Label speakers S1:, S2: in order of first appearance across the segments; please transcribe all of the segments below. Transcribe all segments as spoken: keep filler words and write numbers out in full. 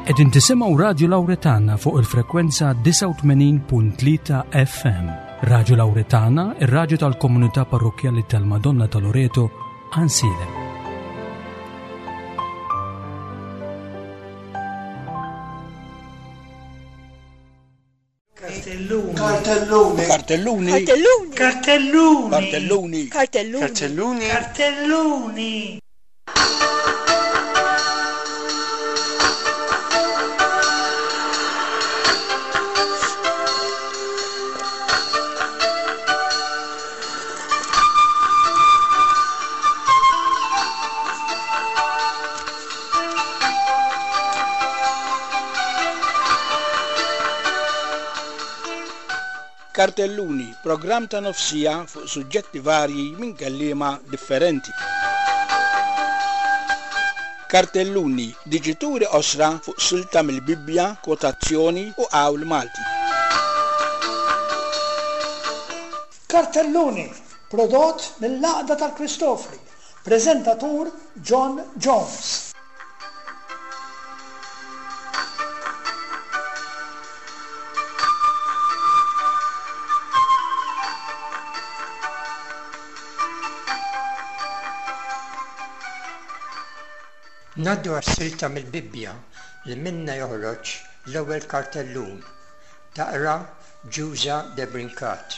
S1: Qegħdin tisimgħu Radio Lauretana fuq il-frekwenza disgħa u tmenin punt tlieta F M. Radio Lauretana, ir-radju tal-komunità parrokkjali tal-Madonna ta' Loreto, Għajnsielem.
S2: Cartelloni.
S3: Cartelloni.
S4: Cartelloni.
S2: Cartelloni.
S4: Cartelloni.
S2: Cartelloni.
S3: Cartelloni.
S2: Cartelloni.
S4: Cartelluni, programm ta' nofsija fuq suġġetti varji minn kelliema differenti. Cartelluni, diġituri osra fuq silta mill-Bibbja, kwotazzjoni u qawl Malti.
S2: Cartelluni, prodott mill-Għaqda tal-Kristofri, preżentatur John Jones.
S5: Ngħaddu għas-silta mill-Bibbja li minna joħroġ l-ewwel kartellun. Taqra Ġuża de Brincat.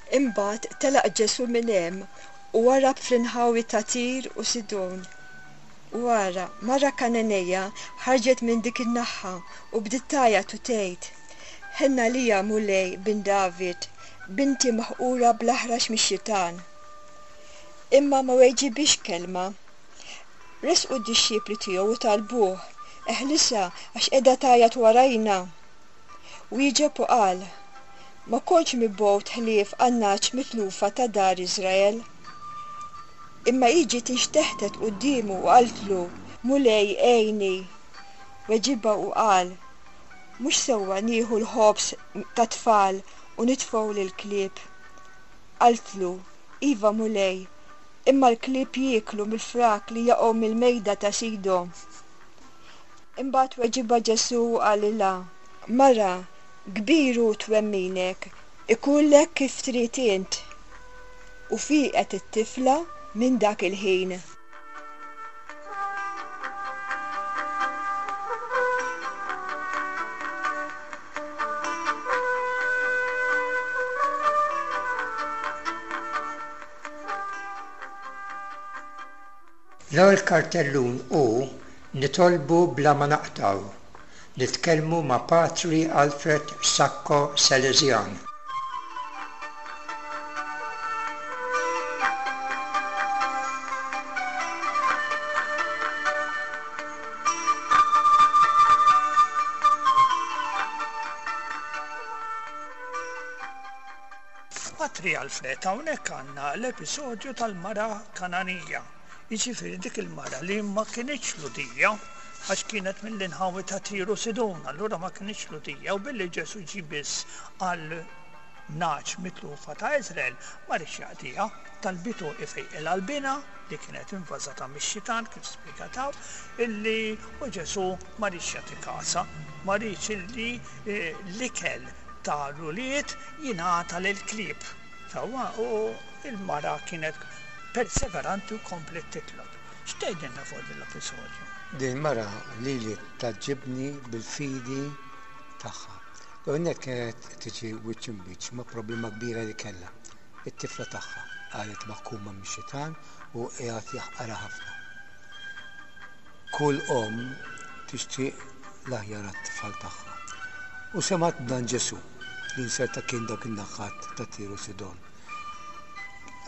S6: Imbagħad telaq Ġesu minn hemm u warab fl-inħawi ta' Tir u Sidon. U ara, mara Kananeja ħarġet minn dik in-naħa u bdiet tgħajjat u tgħid: Ħenna lija Mulej bin David, binti maħqura bl-aħrax mix-xitan. Imma ma weġibix kelma. Resqu d-dixxipli tiegħu u talbuh: Eħlisha għax qiegħda tgħajjat warajna. Wieġeb u qal: Ma kontx mibgħut ħlief għan-nagħaġ mitlufa ta' dar Iżrael. Imma hi ġiet inxteħtet quddiemu u qaltlu: Mulej, għejni. Weġibha u qal: Mhux sewwa nieħu l-ħobż tat-tfal u nitfgħu lill-klieb. Qaltlu: Iva, Mulej, imma l-klieb jieklu mill-frak li jaqgħu mill-mejda ta' sidhom. Imbagħad weġibha Ġesù u qalilha: Mara, kbir hu twemminek, ikullek kif trid int. U fieqet it-tifla minn dak il-ħin.
S5: L-ewwel kartellun hu nitolbu bla ma naqtaw. Nitkellmu ma' Patri Alfred Sacco Salesian.
S2: Patri Alfred, hawnhekk għandna l-episodju tal-mara Kananija. Jiġifieri dik il-mara li ma kinitx Lhudija, għax kienet mill-inħawi ta' Tiru Sidon, allura ma kinitx Lhudija, u billi Ġesu ġie biss għal nagħaġ mitlufa ta' Iżrael, ma rridx jaqdiha, talbitu ifejqilha l-bina li kienet invażata mix-xitan kif spjegataw, illi u Ġesu ma rridx jagħti kasha, ma rridx illi, eh, l-ikel ta' l-ulied jingħata lill-klieb. Sewwa, u il-mara kienet perseveranti u komplet titlob. X'tgħidilna fuq din l-episodju?
S3: Din mara lili taġġibni bil-fidi tagħha. L-ewwel kienet tiġi wiċċ imbiċċ ma' problema kbira li kellha. It-tifla tagħha qalet maħkuma mix-xitan u qiegħed jaħqarha ħafna. Kull omm tixtieq l-aħjar għat-tfal tagħha. U semgħet b'dan Ġesu li nserta kien dawk in-naħat ta' Tiru Sidon.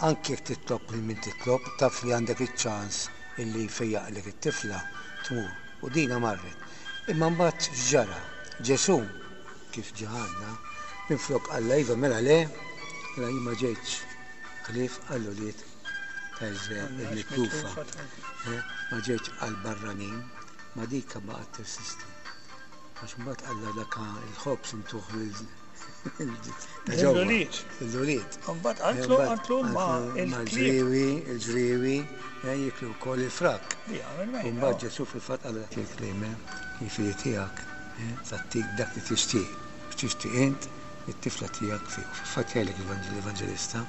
S3: Anke jekk titlob lil min titlob, taf li għandek iċ-ċans illi fejjaqlek it-tifla tmur. U dina marret. Imma mbagħad x'ġara? Ġesu, kif ġaħanna, minflok qalla iva mela le, mela jien ma ġejtx ħlief għall-ulied ta' Iżrael il-mitlufa. Eh, ma ġejtx għall-barranin, ma dik baqgħet tirsisti. Għax mbagħad qalla dak il-ħobż intuh lil ta' ġewwa.
S2: Lill-ulied.
S3: Lill-ulied.
S2: Mbagħad qaltlu qaltlu ma il-klieb
S3: Il-ġriewi, il-ġriewi eh, jiklu wkoll il-frak.
S2: li għamel
S3: U
S2: mejda.
S3: mbagħad Ġesù fil-fatt qal dak il-kliem, eh, il-fidi tiegħek eh, tagħtik dak li tixtieq. X'tixtieq int, it-tifla tiegħek fieq. U fil-fatt jgħidlek l-Evanġelista,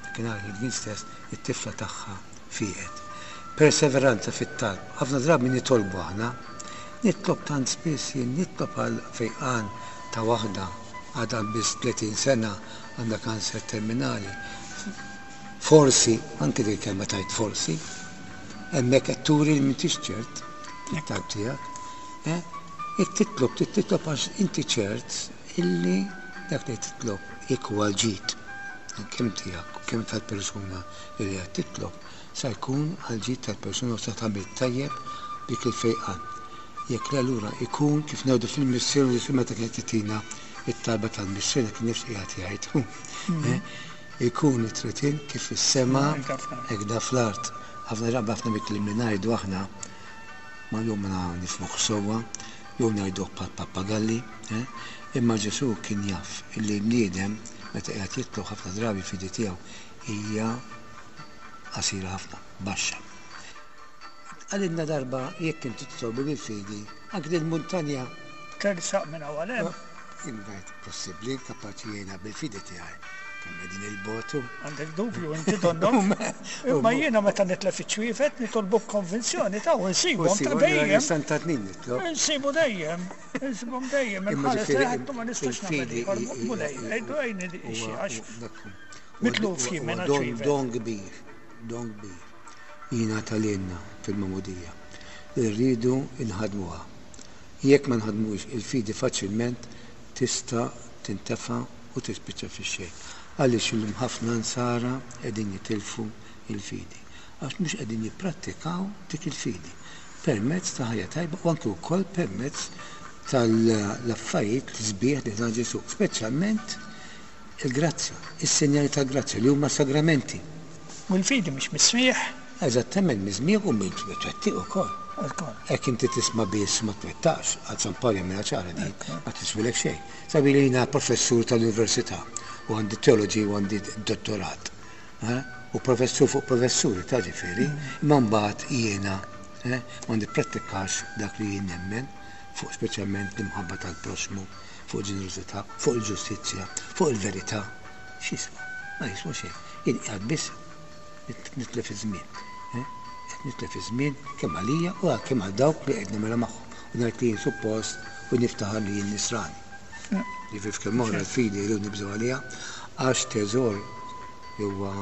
S3: dakinhar il-kien stess, it-tifla tagħha fieqet. Perseveranza fit-talb. Ħafna drabi nitolbu aħna, nitlob tant spiss jien nitlob għal fejqan ta' waħda għadha biss tletin sena għandha kanser terminali. Forsi, anke dik il-kelma tajt forsi, hemmhekk qed turi li m'intix ċert fit-talb tiegħek. Eh? Jekk titlob, trid titlob għax inti ċert illi dak li titlob jekk huwa l-ġid kemm tiegħek u kemm tal-persuna li qed titlob sa jkun għall-ġid tal-persuna u sa tagħmel tajjeb dik il-fejqan. Jekk le allura ikun kif ngħidu fil-Missier Ġesù meta kienet titina it-talba tal-Missier kien nifs qiegħed jgħid. Eh? Ikun it-tritin kif fis-sema hekk fl-art. Ħafna drabi ħafna mill-kliem li ngħidu aħna ma jew ma nifhmuh sewwa, jew ngħiduh bħal pappagalli, eh? Imma Ġesù kien jaf illi bniedem meta qiegħed jitlob ħafna drabi fidi tiegħu hija qasira ħafna, baxxa. Għalilna darba jekk inti titolbu bil-fidi, anke din muntanja
S2: Tersaq minn hawn għal hemm.
S3: Jien ngħid possibbli kapaċi jiena bil-fidi tiegħi. Kemm qegħdin il-botu.
S2: Għandek dubju inti donnok. Imma jiena meta nitlef iċ-ċwievet nitolbu b'konvinzjoni ta' u nsibhom ta' dejjem.
S3: Santa Tnin nitlob.
S2: Insibu dejjem, insibhom dejjem.
S3: Imma
S2: Inħares
S3: ġifieri
S2: leħet ma nistax nagħmel
S3: il-fidi
S2: ieħor
S3: hi- hi-
S2: mulej.
S3: hi-
S2: Għidu għajni li xi
S3: huwa-
S2: għax
S3: dak hu.
S2: mitluf jien
S3: Huwa
S2: minn
S3: don,
S2: ċwievet.
S3: don kbir, don kbir. Jingħata lilna fil-magħmudija. Irridu nħadmuha. Jekk ma nħadmux il-fidi faċilment tista' tintefa' u tispiċċa fix-xejn. Għaliex illum ħafna nsara qegħdin jitilfu il-fidi. Għax mhux qegħdin jipprattikaw dik il-fidi permezz ta' ħajja tajba u anke wkoll permezz tal-affarijiet li sbieħ li ta Ġesù, speċjalment il-grazzja, is-sinjali tal-grazzja li huma sagramenti.
S2: U l-fidi mhix mis-smieħ.
S3: Eżattament, miż-smieħ u mill-twettiq ukoll.
S2: Ukoll.
S3: Hekk inti tisma' biss ma twettaqx, għal San Pawl jagħmilha ċara din, ma tiswilek xejn. Sabi li jiena professur tal-università u għandi teoloġi u għandi dottorat. Eh? U professur fuq professuri ta' ġifieri, imma mbagħad jiena eh, ma nipprattikax dak li jien nemmen fuq speċjalment l-imħabba tal-proxmu, fuq ġenerożità, fuq il-ġustizzja, fuq il-verità. X'jiswa? Ma jiswa xejn. Jien qiegħed biss nitlef iż-żmien. Eh? Qed nitlef iż-żmien kemm għalija u kemm għal dawk li qed nagħmilha magħhom. U ngħid li jien suppost u niftaħar li jien nisrani. Ġifieri f'kemm oħra l-fidi rridu nibżgħu għaliha għax teżor li huwa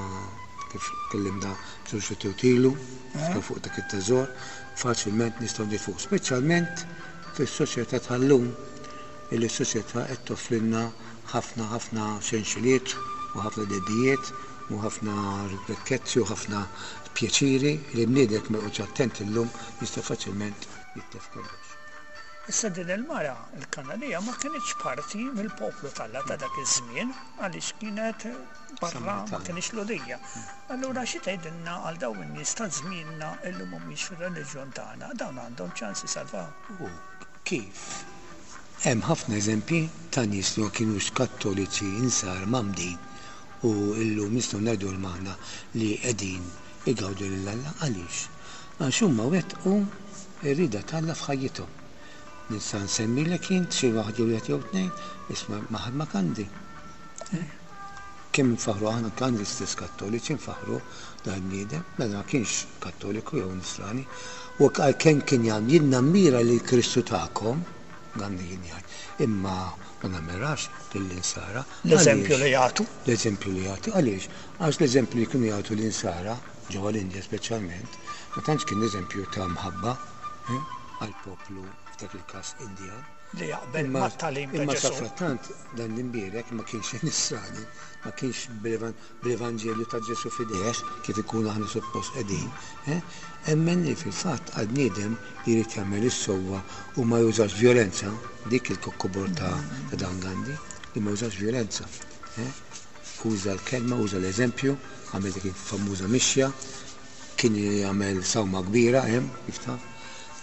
S3: kif tkellimna b'żewġ tilu fuq dak it-teżor, faċilment nistgħu nifuq, speċjalment fis-soċjetà tal-lum illi s-soċjetà qed toffrilna ħafna ħafna xenxiliet u ħafna dedijiet u ħafna rikkezzi u ħafna pjaċiri li bniedek ma joqgħodx attent illum jista' faċilment jitlef kollox.
S2: Issa din il-mara, il-Kananija, ma kienx parti mill-poplu t'Alla ta' dak iż-żmien għaliex kienet barra ma
S3: Samaritana.
S2: kienx Lhudija. Allura xi tgħidilna għal dawn in-nies ta' żmienna illi mhumiex fir-reliġjon tagħna, dawn għandhom ċans isalvaw.
S3: U kif? Hemm ħafna eżempji ta' nies li ma kienux kattoliċi insar mgħammdin u illum nistgħu ngħidu l-magħna li qegħdin igawdu lil Alla. Għaliex? Għax huma wettqu r-rieda t'Alla f'ħajjithom. Nista' nsemmilek int xi waħd jew wieħed jew tnejn, isma' Mahatma Gandhi. Eh? Kemm nfaħru aħna Gandhi stess kattoliċi nfaħru dan bniedem, mela ma kienx kattoliku jew nisrani, u għalkemm kien jgħid jien nammira lil Kristu tagħkom, Gandhi kien jgħid, imma ma nammirax lill-insara.
S2: L-eżempju
S3: Għaliex?
S2: li jagħtu.
S3: L-eżempju li jagħtu, għaliex? Għax l-eżempju li kienu jagħtu l-insara, ġewwa l-Indja speċjalment, ma tantx kien eżempju ta' mħabba, eh, għall-poplu f'dak il-każ Indjan.
S2: Li jaqbel
S3: Imma
S2: mat-tagħlim ta'
S3: imma
S2: Ġesù.
S3: safrattant dan l-imbierek ma kienx nisrani, ma kienx bil-evan-, bil-Evanġelju ta' Ġesù f'idejh kif ikun aħna suppost qegħdin. Eh? Emmen li fil-fatt għal bniedem li jrid jagħmel is-sewwa u ma jużax violenza, dik il-kokkobor ta', ta' dan Gandhi, li ma jużax violenza. Eh? Uża l-kelma, uża l-eżempju, għamel dik il-famuża mixja, kien jagħmel sawma kbira hemm, kif taf.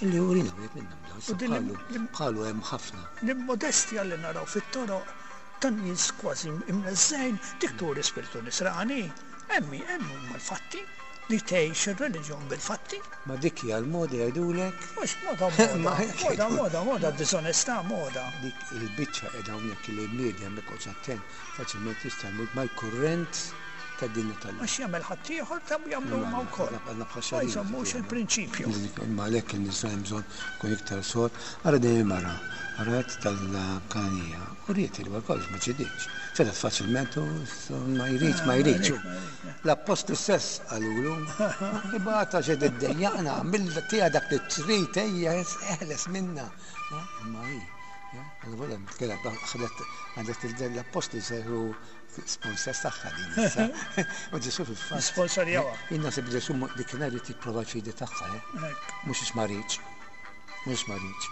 S3: Illi urina wieħed minnhom dawn.
S2: U din
S3: Bħalu
S2: l-
S3: bħalu hemm ħafna.
S2: L-immodestja li naraw fit-toroq tan nies kważi imneżżejn dik turi spiritu nisrani. Emmi, hemm huma l-fatti li tgħix ir-reliġjon bil-fatti.
S3: Ma dik hija l-moda jgħidulek
S2: Mhux moda moda,
S3: Ma
S2: moda, moda, moda, diżonestà moda.
S3: dik il-biċċa qiegħda hawnhekk li bniedem ma jkollx attent faċilment jista' jmur mal-kurrent tad-dinja tal-lum.
S2: Għax jagħmel ħaddieħor ta' jagħmlu huma wkoll.
S3: Għandna bħal
S2: Ma
S3: xarin.
S2: jżommux il-prinċipju.
S3: Imma għalhekk in-nisa hemm bżonn kun iktar sod. Ara din il-mara, arat tal-Kanija, u riet il kollox ma ċediċ. ċedat faċilment u ma jridx, ma jridx. L-appostli stess qalulu, ibata xed id-dejjaqna, mill tija dak li trid ejja eħles minna. Imma hi, għal kellha ħadet għandet l-appostli seru sponsors tagħha din issa. U Ġesu fil-fatt.
S2: Sponsorjawha.
S3: Jien naħseb Ġesu dik nhar irid jipprova l-fidi tagħha, eh?
S2: Hekk.
S3: Mhux ix ma rridx. Mhux ma rridx.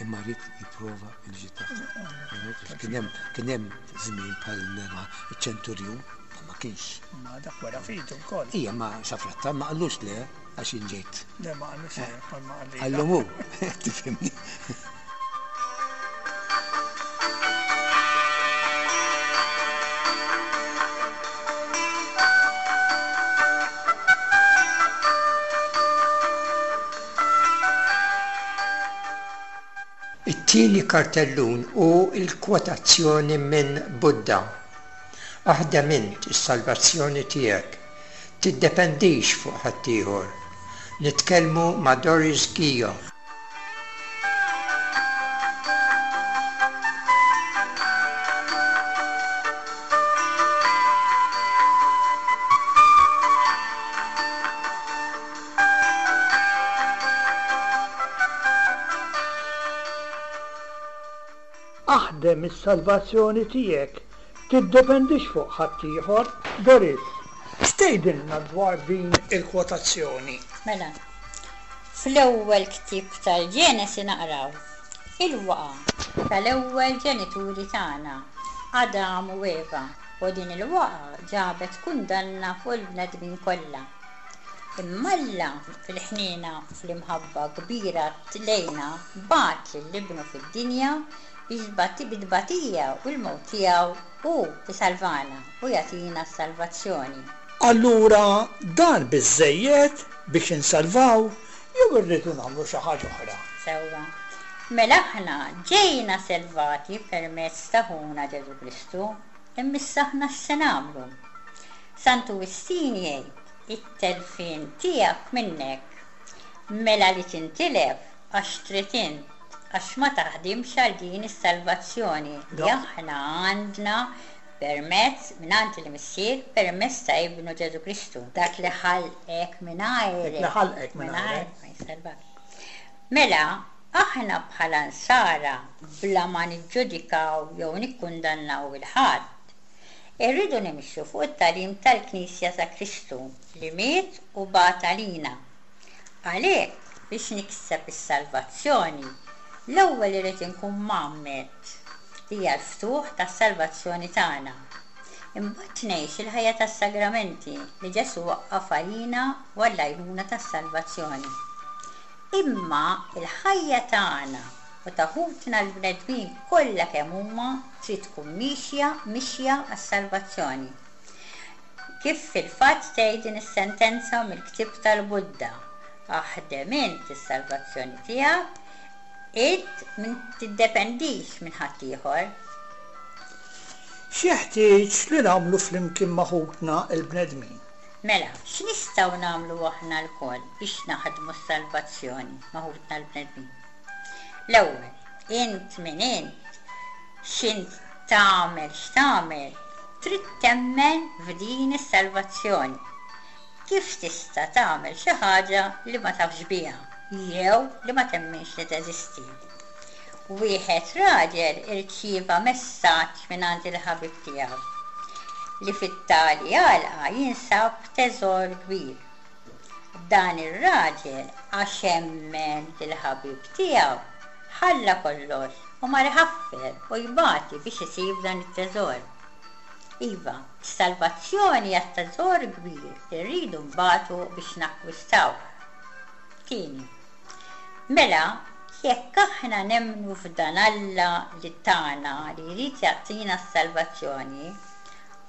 S3: Imma rrid jipprova l-ġid tagħha. Kien hemm kien hemm żmien bħal ma iċ-ċenturjun, ma ma kienx.
S2: Ma dak wara fidu wkoll.
S3: Ija ma xafratta ma qallux le għax jien ġejt.
S2: Le ma qallux le, ma qalli.
S3: Qallhom hu, tifhimni.
S5: It-tieni kartellun hu l-kwotazzjoni minn Buddha. Aħdem int is-salvazzjoni tiegħek. Tiddependix fuq ħaddieħor. Nitkellmu ma' Doris Gio.
S2: Aħdem is-salvazzjoni tiegħek, tiddependix fuq ħaddieħor. Doris, x'tgħidilna dwar din il-kwotazzjoni?
S7: Mela, fl-ewwel ktieb tal-Ġenesi naqraw il-waqa tal-ewwel ġenituri tagħna, Adam u Eva, u din il-waqa ġabet kundanna fuq il-bnedmin kollha. Imma Alla fil-ħniena u fl-imħabba kbira lejna bagħat lil ibnu fid-dinja biex bati- bit-tbatija u l-mewt tiegħu hu jsalvana u jagħtina s-salvazzjoni.
S2: Allura dan biżżejjed biex insalvaw jew irridu nagħmlu xi ħaġa oħra?
S7: Sewwa. Mela aħna ġejna salvati permezz ta' ħuna Ġesu Kristu, imma issa aħna x'se nagħmlu? Santu Wistin jgħid it-telfien tiegħek minnek. Mela li tintilef għax trid int, għax ma taħdimx għal din is-salvazzjoni li
S2: Da.
S7: aħna għandna permezz mingħand il-Missier permezz ta' Ibnu Ġesu Kristu. Dak li ħalqek mingħajrek.
S2: Dak li ħalqek mingħajrek.
S7: Ma jsalvak. Mela, aħna bħala nsara bla ma niġġudikaw jew nikkundannaw il-ħadd, irridu nimxu fuq it-tagħlim tal-Knisja ta' Kristu li miet u bagħat għalina. Għalhekk biex nikseb is-salvazzjoni, l-ewwel irid inkun mgħammed li hija l-ftuħ tas-salvazzjoni tagħna. Imbagħad ngħix il-ħajja tas-sagramenti li Ġesu waqqaf għalina u għall-għajnuna tas-salvazzjoni. Imma il-ħajja tagħna u ta' ħutna l-bnedmin kollha kemm huma trid tkun mixja mixja għas-salvazzjoni. Kif fil-fatt tgħid din is-sentenza mill-ktieb tal-Buddha, aħdem int is-salvazzjoni tiegħek, int min tiddependix minn ħaddieħor.
S2: X'jeħtieġ li nagħmlu flimkien ma' ħutna l-bnedmin?
S7: Mela, x'nistgħu nagħmlu aħna lkoll biex naħdmu s-salvazzjoni ma' ħutna l-bnedmin? L-ewwel, int min int, x'int tagħmel x'tagħmel, trid temmen f'din is-salvazzjoni. Kif tista' tagħmel xi ħaġa li ma tafx biha jew li ma temminx li teżisti? Wieħed raġel irċieva messaġġ mingħand il-ħabib tiegħu li fit-tali għalqa jinsab teżor kbir. Dan ir-raġel għax emmen lill-ħabib tiegħu ħalla kollox u mar iħaffer u jbati biex isib dan it-teżor. Iva, s-salvazzjoni hija teżor kbir li rridu nbatu biex nakkwistaw. Tieni, Mela, jekk aħna nemmnu f'dan Alla li tana li jrid jagħtina s-salvazzjoni,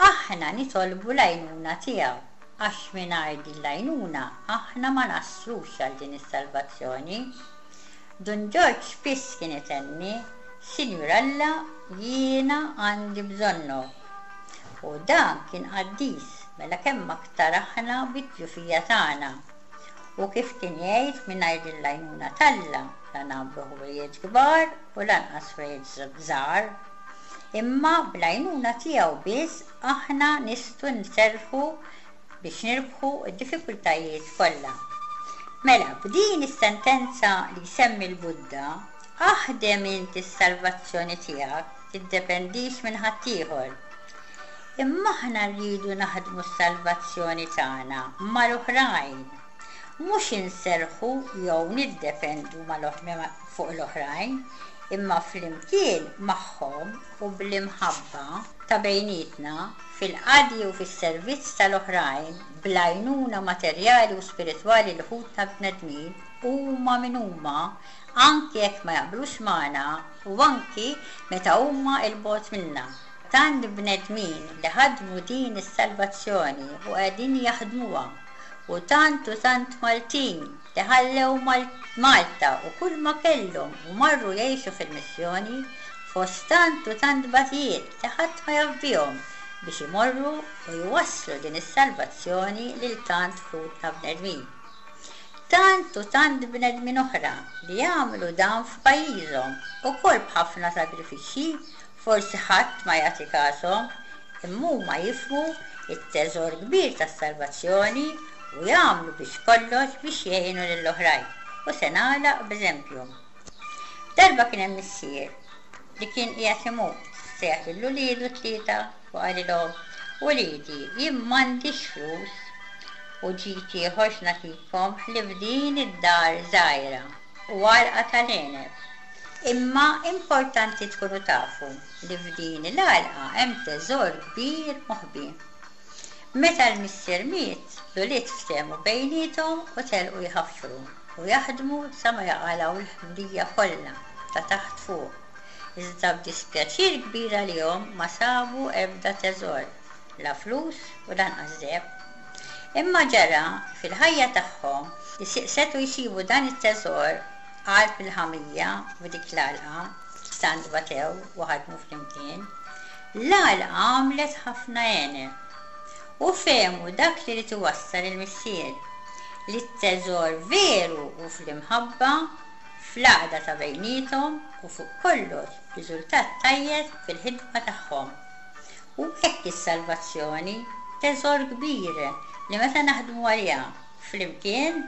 S7: aħna nitolbu l-għajnuna tiegħu għax mingħajr din l-għajnuna aħna ma naslux għal din is-salvazzjoni. Dun Ġorġ spiss kien itenni, Sinjur Alla, jiena għandi bżonnok. U dan kien qaddis, mela kemm aktar aħna bid-djufija tagħna. U kif kien jgħid mingħajr din l-għajnuna t'Alla la nagħmlu ħwejjeġ kbar u lanqas ħwejjeġ żgħar. Imma bl-għajnuna tiegħu biss aħna nistgħu nserrħu biex nirbħu d-diffikultajiet kollha. Mela, b'din is-sentenza li jsemmi l-Buddha, aħdem inti s-salvazzjoni tiegħek, tiddependix minn ħaddieħor. Imma aħna rridu naħdmu s-salvazzjoni tagħna mal-oħrajn, mhux inserrħu jew niddependu fuq l-oħrajn, imma flimkien magħhom u bl-imħabba ta' bejnietna fil-qadi u fis-servizz tal-oħrajn bl-għajnuna materjali u spiritwali li ħutna bnedmin huma min huma anki jekk ma jaqblux magħna u anki meta huma 'l bogħod minna. Tant bnedmin li ħadmu din is-salvazzjoni u qegħdin jaħdmuha u tant u tant Maltin li ħallew Malta u kull ma kellhom u marru jgħixu fil-missjoni fost tant u tant batijiet li ħadd ma jaf bihom biex imorru u jwasslu din is-salvazzjoni lil tant ħutna bnedmin. Tant u tant bnedmin oħra li jagħmlu dan f'pajjiżhom ukoll b'ħafna sagrifiċċji, forsi ħadd ma jagħti kashom, imma huma jifhmu it-teżor kbir tas-salvazzjoni u jagħmlu biex kollox biex jgħinu lill-oħrajn. U se nagħlaq b'eżempju. Darba kien hemm missier li kien qiegħed imut, sejjaħ lil uliedu tlieta u qalilhom, Uliedi, jien m'għandix flus u ġid ieħor x'nagħtikom ħlief din id-dar żgħira u għalqa tal-għeneb. Imma importanti tkunu tafu li f'din l-għalqa hemm teżor kbir moħbi. Meta l-missier miet, l-ulied ftehmu bejniethom u telqu jħaffru u jaħdmu sa ma jaqalgħu l-ħmrija kollha ta' taħt fuq. Iżda b'dispjaċir kbir għalihom ma sabu ebda teżor, la flus u lanqas deheb. Imma ġara fil-ħajja tagħhom li setgħu jsibu dan it-teżor qalb il-ħamrija f'dik l-għalqa, tant batew u ħadmu flimkien. L-għalqa għamlet ħafna għeneb u fehmu dak li ried iwassal il-missier, li t-teżor veru hu fl-imħabba, fl-għaqda ta' bejniethom u fuq kollox riżultat tajjeb fil-ħidma tagħhom. U hekk is-salvazzjoni, teżor kbir li meta naħdmu għaliha flimkien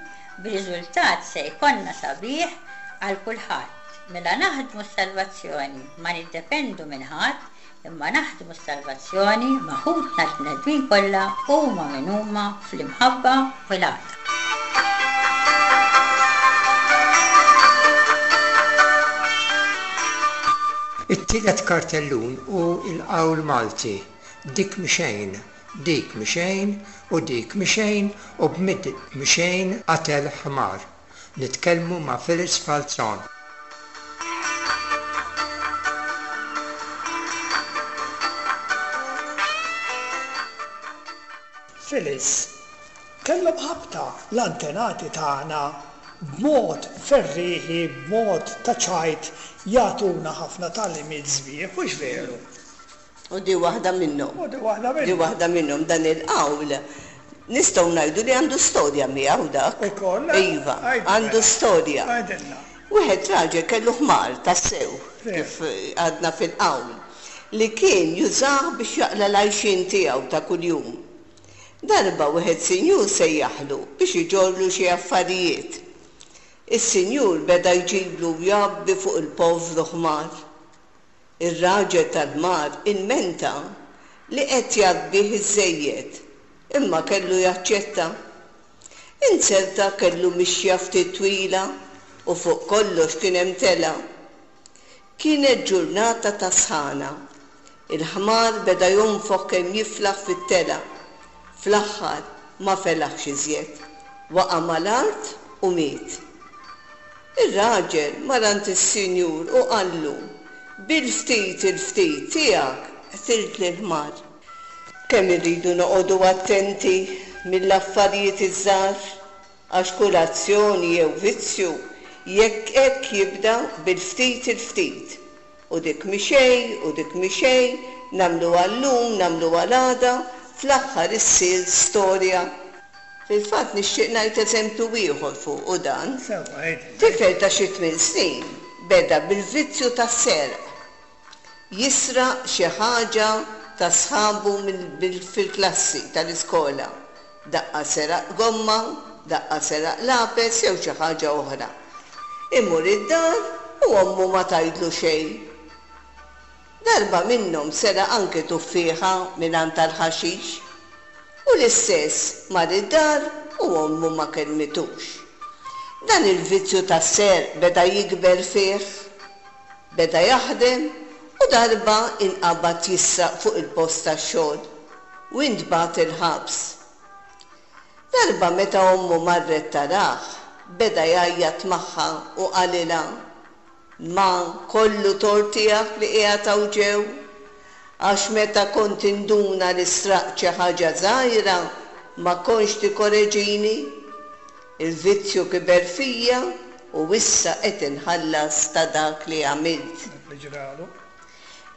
S7: b'riżultat se jkollna sabiħ għal kulħadd. Mela naħdmu s-salvazzjoni, ma niddependu minn ħadd, imma naħdmu s-salvazzjoni ma' ħutna l-bnedmin kollha huma min huma fl-imħabba u l-għaqda.
S5: It-tielet kartellun hu l-qawl Malti, dik mixejn, dik mixejn u dik mixejn u b'mid mixejn qatel ħmar. Nitkellmu ma' Phyllis Falzon.
S2: Phyllis, kellhom ħabta l-antenati tagħna b'mod ferrieħi, b'mod ta' ċajt jagħtuna ħafna tagħlimiet sbieħ, mhux veru?
S8: U di waħda minnhom.
S2: U di waħda minnhom.
S8: Di waħda minnhom dan il-qawl nistgħu ngħidu li għandu storja miegħu dak.
S2: Ukoll?
S8: Iva, għandu storja.
S2: Għidilna.
S8: Wieħed raġel kellu ħmar tassew, kif għadna fil-qawl, li kien jużah biex jaqla' l-għajxien tiegħu ta' kuljum. Darba wieħed sinjur sejjaħlu biex iġorlu xi affarijiet. Is-sinjur beda jġiblu u jgħabbi fuq il-povru ħmar. Ir-raġel tal-ħmar ilmenta li qed jgħabbih iżżejjed, imma kellu jaċċetta. Inzerta kellu mixja ftit twila u fuq kollox kien hemm tela. Kienet ġurnata ta' sħana. Il-ħmar beda jonfoħ kemm jiflaħ fit-tela. Fl-aħħar ma felaħx iżjed. Waqa' mal-art u miet. Ir-raġel mar għand is-sinjur u qallu, bil-ftit il-ftit tiegħek qtilt lill-ħmar. Kemm irridu noqogħdu attenti mill-affarijiet iż-żgħar, għax kull azzjoni jew vizzju jekk hekk jibda bil-ftit il-ftit. U dik mhi xejn, u dik mhi xejn, nagħmluha llum, nagħmluha l-għada, fl-aħħar issir storja. Fil-fatt nixtieq ngħid eżempju ieħor fuq dan. Tifel ta' xi tmien snin beda bil-vizzju tas-serq. Jisraq xi ħaġa ta' sħabu fil-klassi tal-iskola. Daqqa seraq gomma, daqqa seraq lapes jew xi ħaġa oħra. Imur id-dar u ommu ma tgħidlu xejn. Darba minnhom seraq anke tuffieħa mingħand tal-ħaxix. U l-istess mar id-dar u ommu ma kellmitux. Dan il-vizzju tas-serq beda jikber fih, beda jaħdem u darba inqabad jisraq fuq il-post tax-xogħol u intbagħat il-ħabs. Darba meta ommu marret tarah, beda jgħajjat magħha u qalilha, Ma kollu tort tiegħek li qiegħed hawn ġew, għax meta kont induna li sraqt xi ħaġa żgħira ma kontx tikkoreġini. Il-vizzju kiber fija u issa qed inħallas ta' dak li għamilt.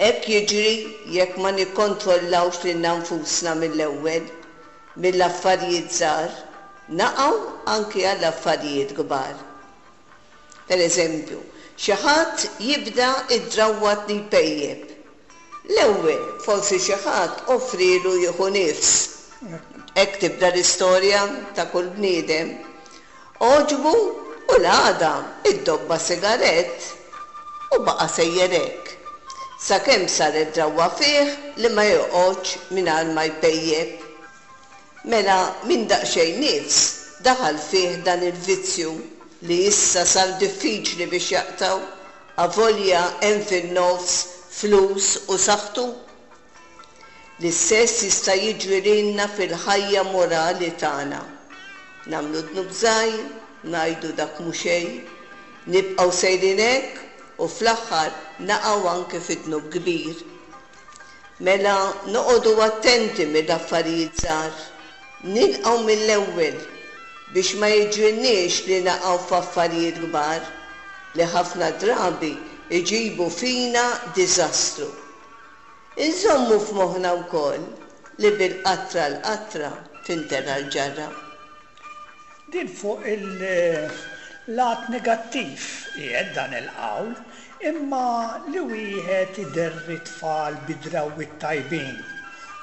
S8: Hekk jiġri jekk ma nikkontrollawx lilna nfusna mill-ewwel, mill-affarijiet żgħar, naqgħu anki għall affarijiet kbar. Per eżempju, xi ħadd jibda id-drawwa li jpejjep. L-ewwel forsi xi ħadd offrilu jieħu nifs. Hekk tibda l-istorja ta' kull bniedem. Għoġbu u l-għada iddobba sigarett u baqa' sejjer hekk. Sakemm saret drawwa fih li ma joqgħodx mingħajr ma jpejjep. Mela minn daqsxejn nifs daħal fih dan il-vizzju li issa sar diffiċli biex jaqtgħu, avolja hemm fin-nofs flus u saħħtu. L-istess jista' jiġri lilna fil-ħajja morali tagħna. Nagħmlu dnub żgħir, ngħidu dak mhu xejn, nibqgħu sejrin hekk u fl-aħħar naqgħu anke fi dnub kbir. Mela noqogħdu attenti mill-affarijiet żgħar, nilqgħu mill-ewwel biex ma jiġrilniex li naqgħu f'affarijiet kbar li ħafna drabi iġibu fina diżastru. Inżommu f'moħħna wkoll li bil-qatra l-qatra tintela l-ġarra.
S2: Din fuq il-lat negattiv qiegħed dan il-qawl, imma li wieħed iderri tfal bi drawwiet tajbin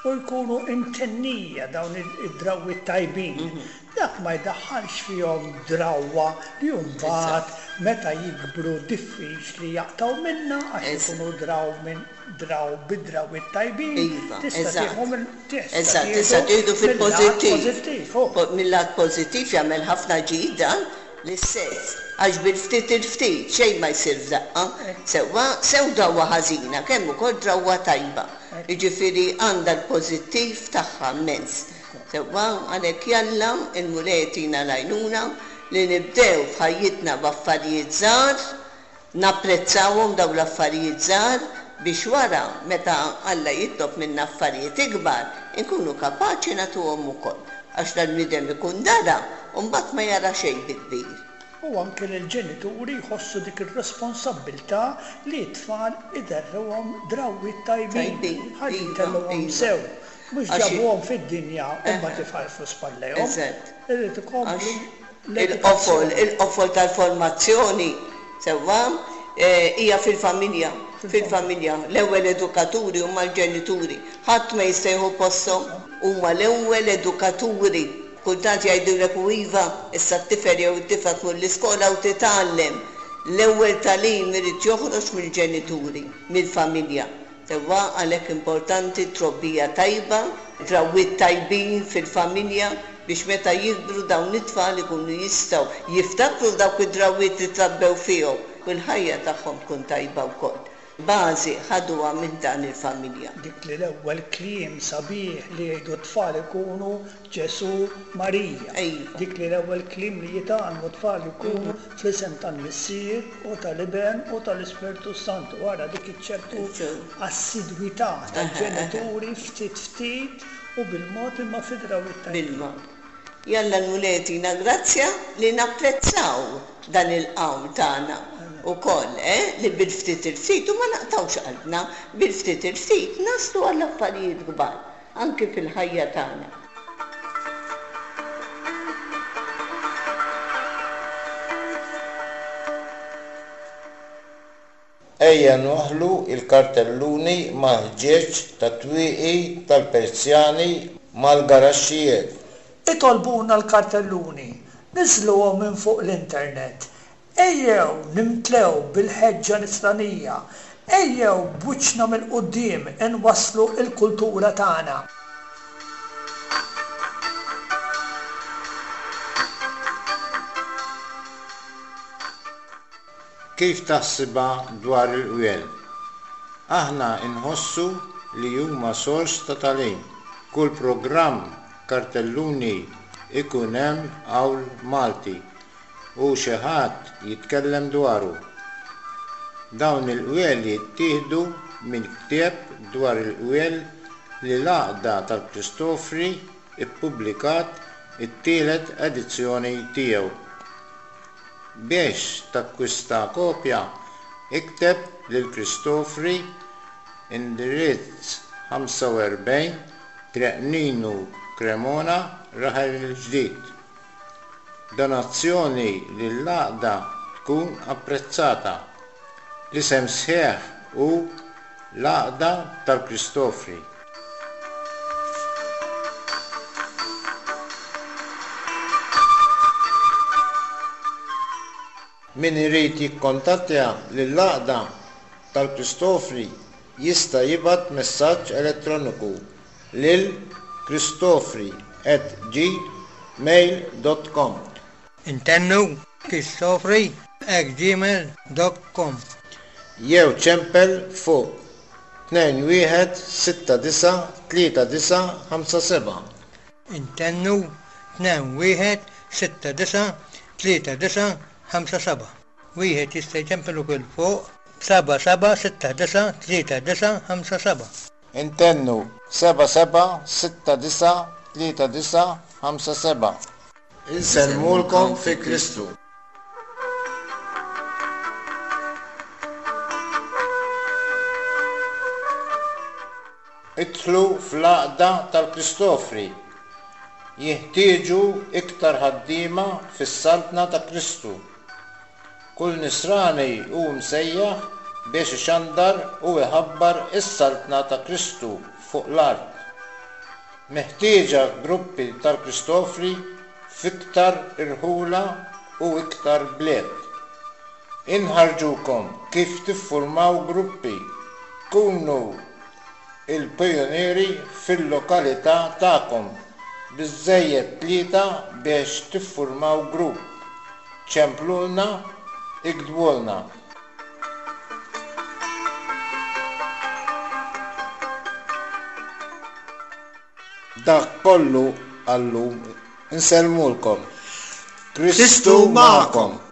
S2: u jkunu imtennija dawn id-drawwiet tajbin. Dak ma jdaħħalx fihom drawwa li mbagħad meta jikbru diffiċli jaqtgħu minnha għax ikunu draw minn draw bid-drawwiet tajbin.
S8: Iva, eżatt. Tista' tieħdu fil-pożittiv. Mill-lat pożittiv jagħmel ħafna ġid dan l-istess, għax bil-ftit il-ftit xejn ma jsir f'daqqa. Sewwa sew drawwa ħażina kemm ukoll drawwa tajba. Jiġifieri għandha l-pożittiv tagħha immens. Sewwa għalhekk jalla il-Mulej jtina l-għajnuna li nibdew f'ħajjitna b'affarijiet żgħar, napprezzawhom dawn l-affarijiet żgħar biex wara meta Alla jitlob minna affarijiet ikbar inkunu kapaċi nagħtuhom ukoll. Għax dal-bniedem ikun dara u mbagħad ma jara xejn bi kbir.
S2: U anke l-ġenituri jħossu dik ir-responsabbiltà li t-tfal iderruhom drawwiet tajbin, ħalli jtellgħuhom sew. Mhux ġabuhom fid-dinja u mbagħad ifarfru spallejhom. Irid ikomplu
S8: Il-qofol, il-qofol tal-formazzjoni sewwa hija fil-familja, fil-familja. L-ewwel edukaturi huma l-ġenituri. Ħadd ma jista' jieħu posthom, huma l-ewwel edukaturi. Kultant jgħidulek u iva, issa t-tifel jew it-tifla tmur l-iskola u titgħallem. L-ewwel tagħlim irid joħroġ mill-ġenituri, mill-familja. Sewwa għalhekk importanti trobbija tajba, drawwiet tajbin fil-familja biex meta jikbru dawn it-tfal ikunu jistgħu jiftakru dawk id-drawwiet li trabbew fihom u l-ħajja tagħhom tkun tajba wkoll. Bażi ħaduha minn dan il-familja.
S2: Dik li l-ewwel kliem sabiħ li jgħidu t-tfal ikunu Ġesù Marija.
S8: Ejwa.
S2: Dik li l-ewwel kliem li jitgħallmu t-tfal ikunu fl-isem tal-Missier u tal-Iben u tal-Ispirtu Santu. Wara dik iċ-ċertu assidwità tal-ġenituri ftit ftit u bil-mod imma fid-drawwiet tajbin.
S8: Bil-mod. Jalla l-Mulej jtina grazzja li napprezzaw dan il-qawl tagħna ukoll, eh, li bil-ftit il-ftit u ma naqtgħux qalbna, bil-ftit il-ftit naslu għall affarijiet kbar anki fil-ħajja tagħna.
S9: Ejja nwaħħlu l-kartelluni mal-ħġieġ tat-twieqi tal-Persjani mal-garaxxijiet.
S2: Itolbuna l-kartelluni, niżżluhom minn fuq l-internet. Ejjew nimtlew bil-ħeġġa nisranija, ejjew b'wiċċna mill-quddiem inwasslu l-kultura tagħna.
S9: Kif taħsibha dwar il-qwiel? Aħna nħossu li huma sors ta' tagħlim. Kull programm kartelluni ikun hemm qawl Malti u xi ħadd jitkellem dwaru. Dawn il-qwiel jittieħdu minn ktieb dwar il-qwiel li l-Għaqda tal-Kristofri ippubblikat it-tielet edizzjoni tiegħu. Biex takkwista kopja, ikteb lil Kristofri, indirizz ħamsa u erbgħin, Triq Ninu, Cremona, Raħal il-Ġdid. Donazzjoni lill-għaqda tkun apprezzata. L-isem sħiħ hu l-Għaqda tal-Kristofri. Min irid jikkontattja lill-Għaqda tal-Kristofri jista' jibgħat messaġġ elettroniku lil kristofri at gmail dot com.
S5: Intennu kristofri at gmail dot com.
S9: Jew ċempel fuq tnejn wieħed sitta disa tlieta disa ħamsa seba'.
S5: Intennu tnejn wieħed sitta disa tlieta disa ħamsa seba'. Wieħed jista' jċempel ukoll fuq seba' seba' sitta disa tlieta disa ħamsa seba'.
S9: Intennu seba' seba' sitta disa tlieta disa ħamsa seba'. Insellmulkom fi Kristu. Idħlu fl-Għaqda tal-Kristofri. Jeħtieġu iktar ħaddiema fis-Saltna ta' Kristu. Kull nisrani hu msejjaħ biex ixandar u iħabbar is-Saltna ta' Kristu fuq l-art. Meħtieġa gruppi tal-Kristofri f'iktar irħula u iktar bliet. Inħarġukom kif tiffurmaw gruppi. Kunu il-pijunieri fil-lokalità tagħkom. Biżżejjed tlieta biex tiffurmaw grupp. Ċemplulna, iktbulna. Dak kollu għallum insellmulkom. Kristu magħkom.